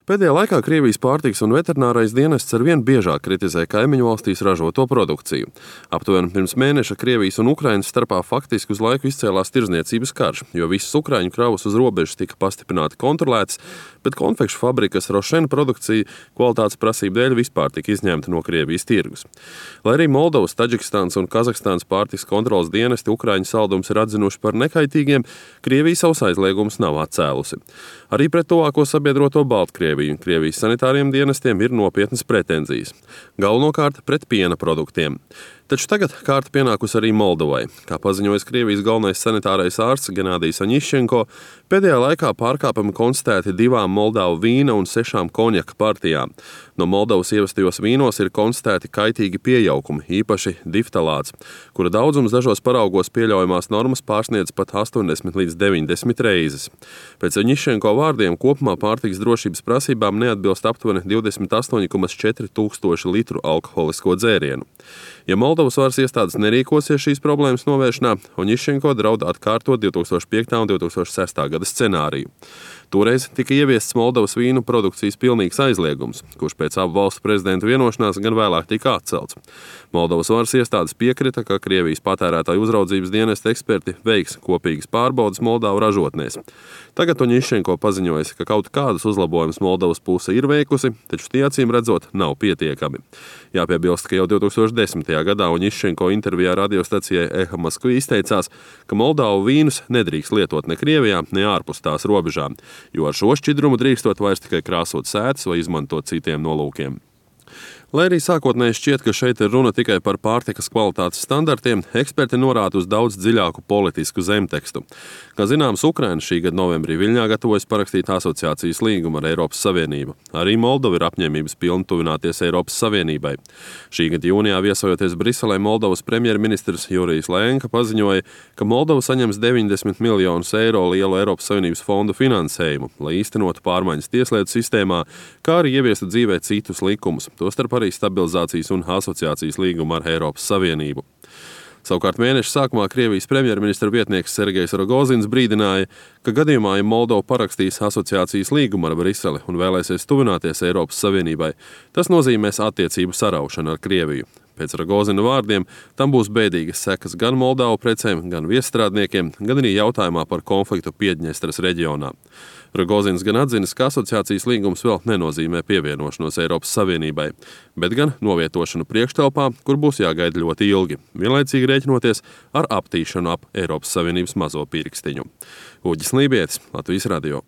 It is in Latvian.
Pēdējā laikā Krievijas pārtikas un veterinārais dienests arvien biežāk kritizē kaimiņu valstīs ražoto produkciju. Aptuveni pirms mēneša Krievijas un Ukrainas starpā faktiski uz laiku izcēlās tirdzniecības karš, jo visas ukraiņu kravas uz robežas tika pastiprināti kontrolētas, bet konfekšu fabrikas Rošena produkcija kvalitātes prasību dēļ vispār tika izņemta no Krievijas tirgus. Lai arī Moldovas, Taģikistānas un Kazahstānas pārtikas kontroles dienesti ukraiņu saldumus ir atzinuši par nekaitīgiem, Krievija savus aizliegumus nav atcēlusi. Arī pret tuvāko sabiedroto Baltkrieviju un Krievijas sanitāriem dienestiem ir nopietnas pretenzijas. Galvenokārt pret piena produktiem. Taču tagad kārta pienākusi arī Moldovai. Kā paziņojas Krievijas galvenais sanitārais ārsts Genādijs Aņiščenko, pēdējā laikā pārkāpumi konstatēti 2 Moldavu vīna un 6 konjaka partijām. No Moldovas ievestajos vīnos ir konstatēti kaitīgi piejaukumi, īpaši diftalāts, kura daudzums dažos paraugos pieļaujamās normas pārsniedz pat 80 līdz 90 reizes. Pēc Aņiščenko vārdiem kopumā pārtikas drošības prasībām neatbilst aptuveni 28,4 tūkstoši litru alkoholisko dzērienu. Ja Moldovas varas iestādes nerīkosies šīs problēmas novēršanā, Aņiščenko draud atkārtot 2005. un 2006. gada scenāriju. Toreiz tika ieviests Moldovas vīnu produkcijas pilnīgs aizliegums, kurš pēc abu valstu prezidentu vienošanās gan vēlāk tika atcelts. Moldovas varas iestādes piekrita, ka Krievijas patērētāju uzraudzības dienesta eksperti veiks kopīgas pārbaudes Moldavu ražotnēs. Tagad Aņiščenko paziņojas, ka kaut kādus uzlabojumus Moldovas puse ir veikusi, taču tie acīm redzot nav pietiekami. Jāpiebilst, ka jau 2010. gadā Aņiščenko intervijā radiostacijai Eha Maskvi izteicās, ka Moldavu vīnus nedrīkst lietot ne Krievijā, ne ārpus tās robežām, jo ar šo šķidrumu drīkstot vairs tikai krāsot sētas vai izmantot citiem nolūkiem. Lai arī sākotnēji šķiet, ka šeit ir runa tikai par pārtikas kvalitātes standartiem, eksperti norāda uz daudz dziļāku politisku zemtekstu. Kā zināms, Ukraina šī gada novembrī Viļņā gatavojas parakstīt asociācijas līgumu ar Eiropas Savienību. Arī Moldova ir apņēmības pilna tuvināties Eiropas Savienībai. Šī gada jūnijā viesojoties Briselē, Moldovas premjerministrs Jurijs Lēnka paziņoja, ka Moldova saņems 90 miljonus eiro lielu Eiropas Savienības fondu finansējumu, lai īstenotu pārmaiņas tieslietu sistēmā, kā arī ieviestu dzīvē citus likumus, tostarp arī stabilizācijas un asociācijas līgumu ar Eiropas Savienību. Savukārt mēneša sākumā Krievijas premjerministra vietnieks Sergejs Rogozins brīdināja, ka gadījumā, ja Moldova parakstīs asociācijas līgumu ar Briseli un vēlēsies tuvināties Eiropas Savienībai, tas nozīmēs attiecību saraušanu ar Krieviju. Pēc Rogozina vārdiem tam būs bēdīgas sekas gan Moldavu precēm, gan viesstrādniekiem, gan arī jautājumā par konfliktu Piedņestras reģionā. Rogozins gan atzinis, ka asociācijas līgums vēl nenozīmē pievienošanos Eiropas Savienībai, bet gan novietošanu priekštelpā, kur būs jāgaida ļoti ilgi, vienlaicīgi rēķinoties ar aptīšanu ap Eiropas Savienības mazo pirkstiņu. Uģis Lībietis, Latvijas radio.